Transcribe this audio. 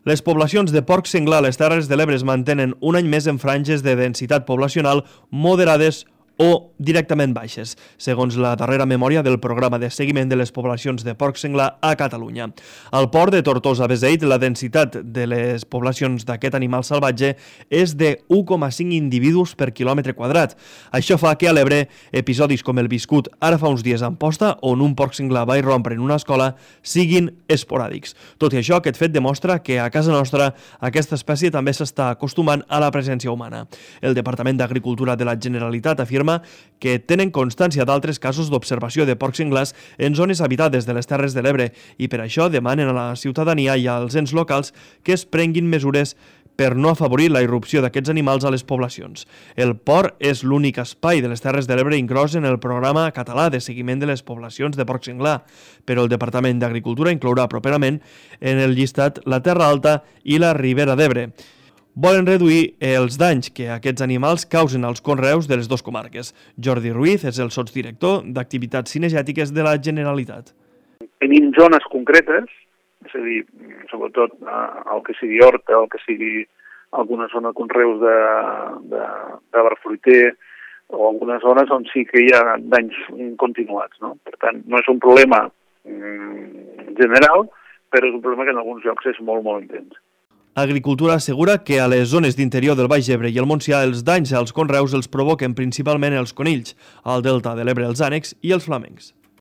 Les poblacions de porc senglar a les Terres de l'Ebre es mantenen un any més en franges de densitat poblacional moderades o directament baixes, segons la darrera memòria del programa de seguiment de les poblacions de porc senglar a Catalunya. Al port de Tortosa-Beseit, la densitat de les poblacions d'aquest animal salvatge és de 1,5 individus per quilòmetre quadrat. Això fa que a l'Ebre episodis com el viscut ara fa uns dies a Amposta, on un porc senglar va irrompre en una escola, siguin esporàdics. Tot i això, aquest fet demostra que a casa nostra aquesta espècie també s'està acostumant a la presència humana. El Departament d'Agricultura de la Generalitat afirma que tenen constància d'altres casos d'observació de porcs senglars en zones habitades de les Terres de l'Ebre i per això demanen a la ciutadania i als ens locals que es prenguin mesures per no afavorir la irrupció d'aquests animals a les poblacions. El port és l'únic espai de les Terres de l'Ebre inclòs en el programa català de seguiment de les poblacions de porc senglar, però el Departament d'Agricultura inclourà properament en el llistat la Terra Alta i la Ribera d'Ebre. Volen reduir els danys que aquests animals causen als conreus de les dues comarques. Jordi Ruiz és el sotsdirector d'Activitats Cinegètiques de la Generalitat. Tenim zones concretes, és a dir, sobretot el que sigui horta, el que sigui alguna zona de conreus d'arbre fruiter, o algunes zones on sí que hi ha danys continuats, no? Per tant, no és un problema general, però és un problema que en alguns llocs és molt, molt intens. Agricultura assegura que a les zones d'interior del Baix Ebre i el Montsià els danys als conreus els provoquen principalment els conills, al delta de l'Ebre els ànecs i els flamencs.